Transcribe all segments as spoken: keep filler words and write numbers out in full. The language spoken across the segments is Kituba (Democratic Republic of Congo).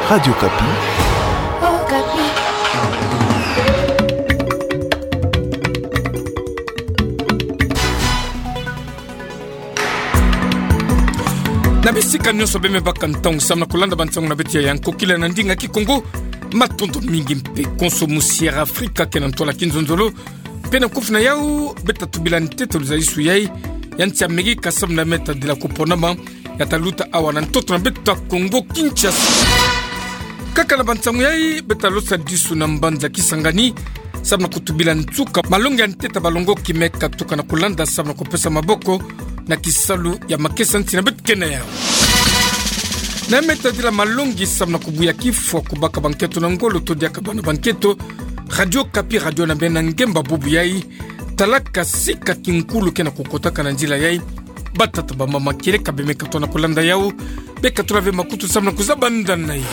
Radio Okapi. Na bisika nyonso bemebaka ntangu samu na kulanda bansangu na beto ya nkokila na ndinga Kikongo. Matondo mingi mpe konso musi Air Afrika ke na ntwala kinzonzolo. Mpe na nkufi na yau, beta tubila ntete luzalisu yai ya nsi Amerika samu na meta dila kuponama ya taluta awa na ntoto na beto ta Kongo Kinshasa. Kaka na bansangu yai, beta losadisu na mbanza Kisangani samu na kutubila nsuka malongi ya ntete balongoki me katuka na kulanda samu na kupesa maboko na kisalu ya makesa nsi na beto ke na yau. Na meta dila malongi samu na kubuya kifwa kubaka banketo na ngolo to diaka bana banketo, Radio Okapi, radio na beno na ngemba bubu yai, talaka sika kinkulu ke na kukotaka na nzila yai. Batata, bamama, kieleka bemeka tona kulanda yau, beka tula ve makutu samu na kuzaba ndanda yai.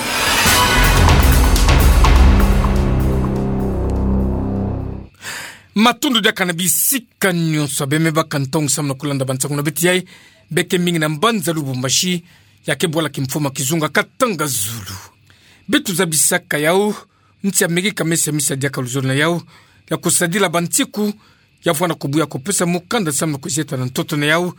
Matondo diaka na bisika nyonso bemebaka ntangu samu na kulanda bansangu na beto yai, beke mingi na mbanza Lubumbashi, ya ke bwala kimfumu ya kizunga Katanga Zulu. Beto zabisaka yau, nsi Amerika me siamisa diaka luzolo na yau ya kusadila bansiku ya vwanda kubuya kupesa mukanda samu na kuzieta na ntoto na yau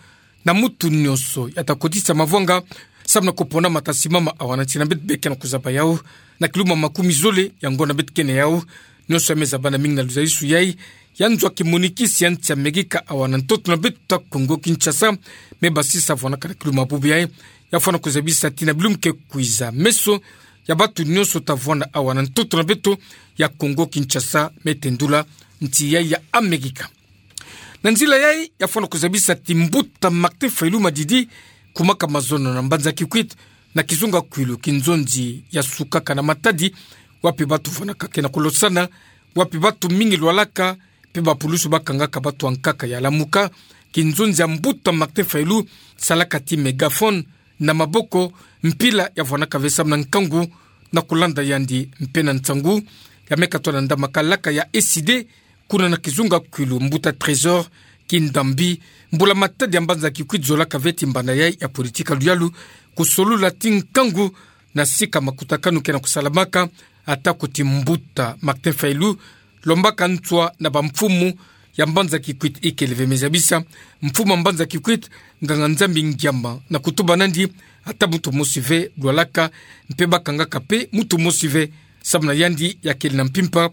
na mutu nyonso ya ta kotisa mavwanga samu na kuponama ta simama awa na nsi na beto, beke na kuzaba yau na kiluma makumi zole ya ngonda beto ke na yau. Nyonso ya me zabana mingi na luzalisu yai ya nzo ya kimonikisi ya nsi Amerika awa na ntoto na beto ta Kongo Kinshasa, me basisa vwandaka na kiluma bubu yai ya vwanda kuzabisa tii na bilumbu ke kwiza meso ya bantu nyonso ta vwanda awa na ntoto na beto ya Kongo Kinshasa, me tendula nsi yai ya Amerika. Na nzila yai ya vwanda kuzabisa tii mbuta Martin Fayulu Madidi kumaka mazono na mbanza Kikwit na kizunga Kwilu, kinzonzi ya sukaka na Matadi, wapi bantu vwandaka ke na kulosana, wapi bantu mingi lwalaka, mpe bapulusu bakangaka bantu ankaka ya Lamuka. Kinzonzi ya mbuta Martin Fayulu salaka tii mégaphone na maboko, mpila ya vwandaka ve samu na nkangu na kulanda yandi mpe na nsangu ya me katona ndamaka laka ya ECIDE kuna na kizunga Kwilu. Mbuta Trésor Kindambi, mbula-matadi ya mbanza Kikwit, zolaka ve tii mbanda yai ya politika luyalu kusolula tii nkangu na sika makutakanu ke na kusalamaka, atako tii mbuta Martin Fayulu lombaka nswa na bamfumu ya mbanza Kikwit ikele ve. Me zabisa, mfumu ya mbanza Kikwit, nganga-Nzambi Ngiama, na kutuba nandi ata mutu mosi ve lwalaka, mpe bakangaka mpe mutu mosi ve samu na yandi ya kele na mpimpa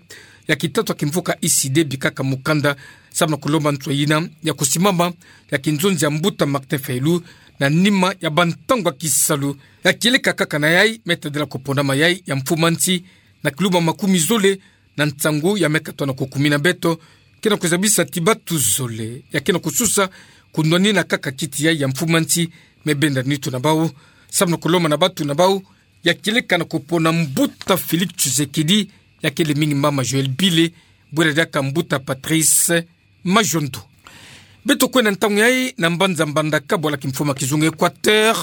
ya kitatwa kimvuka ECIDE, bikaka mukanda samu na kulomba nswa yina ya kusimama ya kinzonzi ya mbuta Martin Fayulu na nima ya bantangu ya kisalu. Ya kieleka kaka na yai, me tadila kuponama yai ya mfumu ya nsi na kiluma makumi zole na nsangu ya me katona kukumina beto, ke na kuzabisa tii bantu zole ya ke na kususa kunwanina kaka kiti yai ya mfumu ya nsi, me benda nitu na bau samu na kulomba na bantu na bau ya kieleka na kupona mbuta Félix Tshisekedi, ya kele mingi mama Joëlle Bile, bwela diaka mbuta Patrice Majondo. Beto kwenda ntangu yai na mbanza Mbandaka, bwala kimfumu ya kizunga Équateur,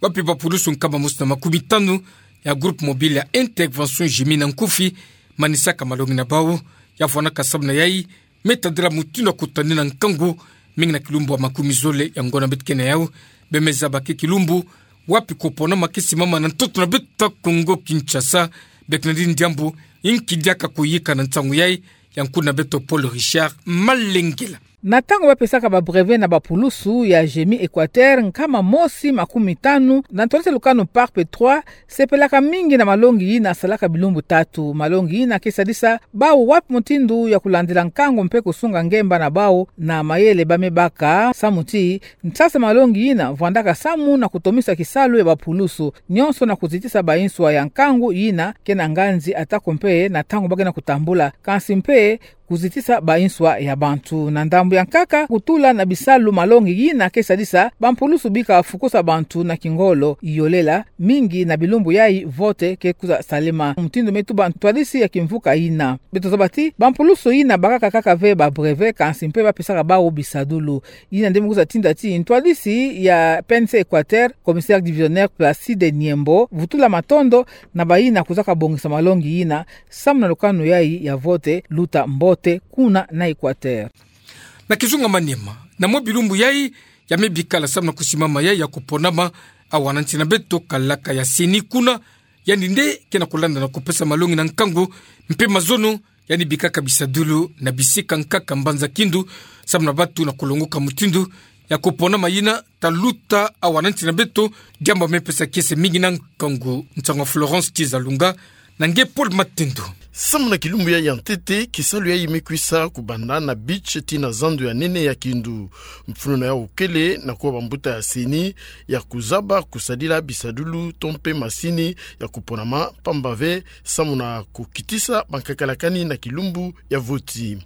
wapi bapulusu nkama mosi na makumi tanu ya groupe mobile ya intervention, GMIN na nkufi, manisaka malongi na bau ya vwandaka samu na yai, me tadila mutindu ya kutanina nkangu mingi na kilumbu ya makumi zole ya ngonda beto ke na yau. Be me zaba ke kilumbu wapi kuponama ke simama na ntoto na beto ta Kongo Kinshasa. Beke na dini diambu inki diaka kuyika na nsangu yai ya nkulu na beto Paul Richard Malengela. Na ntangu bapesaka ba brevet na bapulusu ya GMIN Équateur, nkama mosi makumi tanu na ntwadisi ya lukanu PARP trois sepelaka mingi na malongi yina salaka bilumbu tatu. Malongi yina ke sadisa bau wapi mutindu ya kulandila nkangu mpe kusunga ngemba na bau na mayele ba me baka, samu ti nsasa malongi yina vwandaka samu na kutomisa kisalu ya bapulusu nyonso na kuzitisa banswa ya nkangu yina ke na nganzi, atako mpe na ntangu ba ke na kutambula, kansi mpe kuzitisa banswa ya bantu. Na ndambu ya nkaka, kutula na bisalu malongi yina ke sadisa bampulusu bika fukusa bantu na kingolo. Iolela, mingi na bilumbu yai vote ke kwiza salema, mutindu me tuba ntwadisi ya kimvuka yina. Beto zaba ti bampulusu yina bakaka kaka ve ba brevet, kansi mpe bapesaka bau bisadulu. Yina nde me kwiza tinda ti ntwadisi ya PNC Équateur, commissaire divisionnaire Placide Niembo, vutula matondo na bayina kwizaka bongisa malongi yina samu na lukanu yai ya vote luta mbote kuna na Équateur. Na kizunga Maniema, na mwa bilumbu yai ya me bikala samu na kusimama yai ya kuponama awa na nsi na beto kalaka ya CENI kuna, Yandi nde ke na kulanda na kupesa malongi na nkangu mpe mazono, yandi bikaka bisadulu na bisika nkaka mbanza kindu, samu na batu na kulongoka mutindu ya kupona mayina, ta luta awa na nsi na beto, diambu me pesa kiese mingi na nkangu. Nsangu ya Florence Tizalunga na nge Paul Matendo. Samu na kilumbu yayi ya ntete, kisalu yayi me kwisa kubanda na beach tii na zandu ya nene ya kindu. Mfunu na yau kele na kuwa bambuta ya CENI ya kuzaba kusadila bisadulu to mpe masini ya kuponama, pamba ve samu na kukitisa bankakalakani na kilumbu ya voti.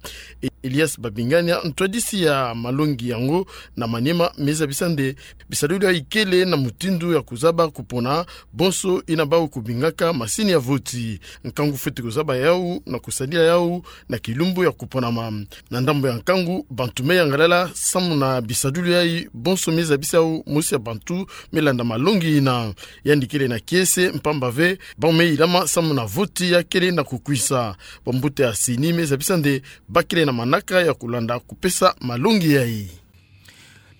E-, Elias Babingania, ntwadisi ya malongi yango na Maniema, me zabisa nde bisadulu yayi kele na mutindu ya kuzaba kupona bonso yina bau kubingaka masini ya voti. Nkangu fweti kuzaba yau na kusadila yau na kilumbu ya kuponama. Na ndambu ya nkangu, bantu me yangalala samu na bisadulu yayi, bonso me zabisa yau mosi ya bantu me landa malongi yina. Yandi kele na kiese, mpamba ve bau me ilama samu na voti ya kele na kukwisa. Bambuta ya CENI me zabisa nde ba kele na manaka ya kulanda kupesa malongi yayi.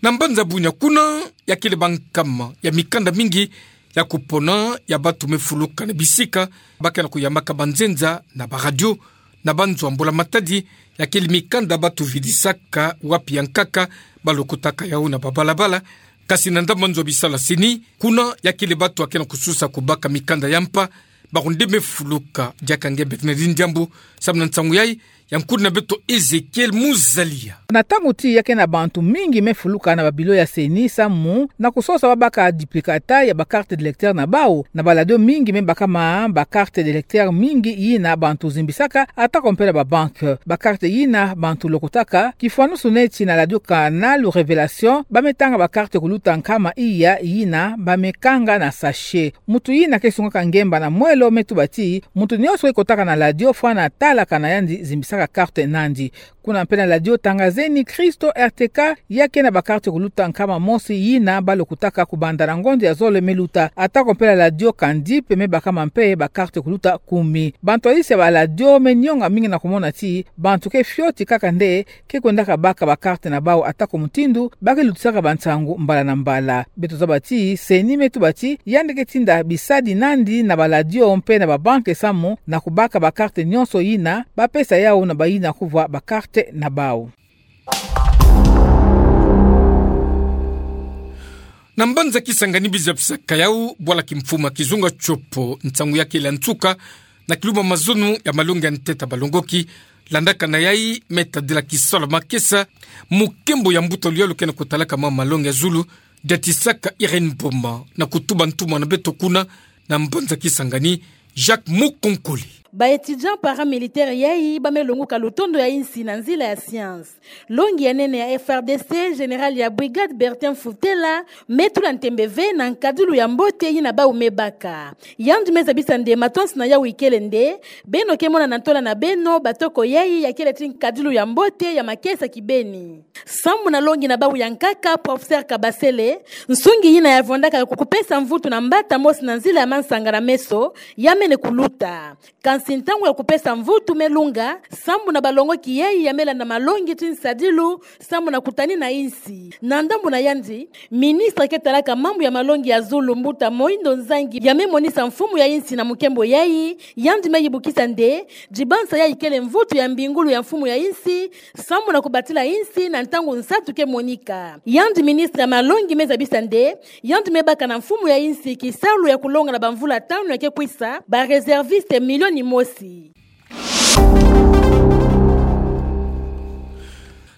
Na mbanza Bunia kuna, ya kele bankama ya mikanda mingi ya kupona ya batu me fuluka na bisika, ba ke na kuyambaka banzenza na baradio na banzo ya mbula-matadi, ya kele mikanda batu vidisaka wapi ya nkaka, ba lokotaka yau na babalabala. Kasi na ndambu ya nzo ya bisalu ya CENI kuna, ya kele batu ya ke na kususa kubaka mikanda ya mpa, bawu nde me fuluka. Diaka nge Bernardine Diambu, samu na nsangu yayi, ya nkudi na beto Ezekiel Muzalia. Na ntangu tii ya ke na bantu mingi me fuluka na babilo ya CENI samu na kusosa babaka duplicata ya bacarte d'électeur na bau. Na baradio mingi me bakama bacarte d'électeur mingi yina bantu zimbisaka, atako mpe na babanke. Bacarte yina bantu lokotaka, kifwanusu neti na radio Canal Révélation, ba me tanga bacarte kuluta nkama iya yina ba me kanga na sachet. Mutu yina ke sungaka ngemba na mwelo me tuba ti, mutu nyonso ke kotaka na radio fwana talaka na yandi zimbisaka carte nandi. Kuna mpe na radio Tangazeni Kristo, R T K, ya ke na bacarte kuluta nkama mosi yina ba lokotaka kubanda na ngonda ya zole me luta. Atako mpe na radio Kandip me bakama mpe bacarte kuluta kumi. Bantwadisi ya baradio me nyonga mingi na kumona ti bantu ke fioti kaka nde ke kwendaka baka bacarte na bau, atako mutindu ba ke lutisaka bansangu mbala na mbala. Beto zaba ti CENI me tuba ti yandi ke tinda bisadi nandi na baradio mpe na babanke samu na kubaka bacarte nyonso yina ba pesa yau na bayina kuvwa bacarte na bau. Na mbanza Kisangani, biza bisaka yau bwala kimfumu ya kizunga tiopo, nsangu ya kele ya nsuka na kilumbu ya mazono ya malongi ya ntete ya balongoki. Landaka na yayi, me tadila kisalu ya makesa mu nkembo ya mbuta luyalu ke na kutalaka ma malongi ya zulu, Diatisaka Irène Mboma, na kutuba ntumwa na beto kuna na mbanza Kisangani, Jacques Mukonkole. Ba étudiants paramilitaires yayi ba me longoka lutondo ya insi na nzila ya science. Longi ya nene ya F R D C, général ya brigade Bertin Mfutela, me tula ntembe ve na nkadilu ya mbote yina bau me baka. Yandi me zabisa nde matonsi na yau ikele nde beno ke mona na ntola na beno batoko yayi ya kele ti nkadilu ya mbote ya makesa kibeni. Sambu na longi na bau ya nkaka, professeur Kabasele, nsungi yina ya vondaka ku kupesa mvutu na mbata mosi na nzila ya mansanga na meso, ya mene kuluta. Kansi ntangu ya kupesa mvutu me lunga, sambu na balongoki yayi ya me landa malongi ti nsadilu, sambu na kutanina insi. Na ndambu na yandi, ministre ke talaka mambu ya malongi ya zulu, mbuta Moindo Nzangi, ya me monisa mfumu ya insi na mukembo yayi, yandi me yibukisa nde dibansa yayi kele mvutu ya mbingulu ya mfumu ya insi, sambu na kubatila insi na ntangu nsatu ke monika. Yandi ministre ya malongi me zabisa nde yandi me baka na mfumu ya insi kisalu ya kulonga na bamvula tanu ya ke kwisa, ba réservistes milioni mosi.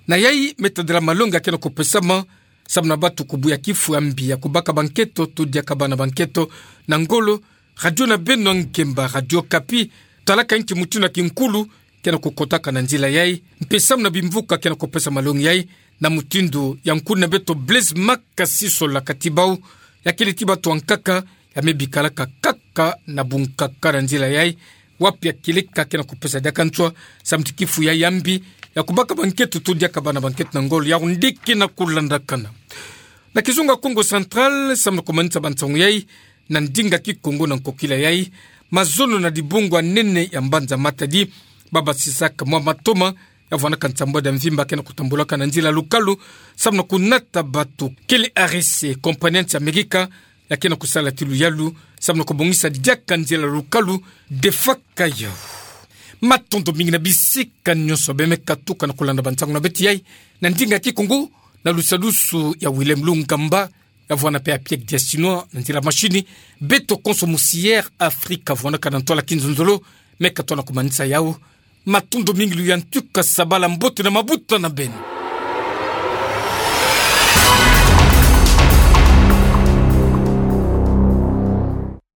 Na yayi, me tadila malongi ya ke na kupesama samu na batu kubuya kifu ya mbi ya kubaka banketo to diaka bana banketo na ngolo. Radio na beno ya ngemba, Radio Okapi, talaka nki mutindu ya kinkulu ke na kukotaka na nzila yayi, mpe samu na bimvuka ke na kupesa malongi yayi, na mutindu ya nkulu na beto Blaise Makasi Sola Katibau, ya kele ti batu ya nkaka ya me bikalaka kaka na bunkaka na nzila yayi, wapi ya kele ka ke na kupesa diaka nswa, samu ti kifu yayi ya mbi ya kubaka banketo to diaka bana banketo na ngolo, yau nde ke na kulandakana. Na kizunga Kongo Central, samu na kumanisa bansangu yayi na ndinga Kikongo na nkokila yayi, mazono na dibungu ya nene ya mbanza Matadi, ba basisaka mwa matoma ya vwandaka nsambwadi ya mvimba ke na kutambulaka na nzila lukalu, samu na kunata batu. Kele A R C, compagnie ya Amerika, ya ke na kusala ti luyalu samu na kobongisa diaka nzila lukalu. Defaka yau. Matondo mingi na bisika nyonso bemeka tuka na kulanda bansangu na betiai, na ndinga kikongo, na lusadusu ya Willem Lungamba, ya vuana pe ya Pierre Diasinoa, na nzila mashini. Beto konso musi Air Afrika vuana ka na ntwala kinzonzolo, meka tona kumanisa yau. Matondo mingi, luyantika, sabala, mbote na mabuta na beno.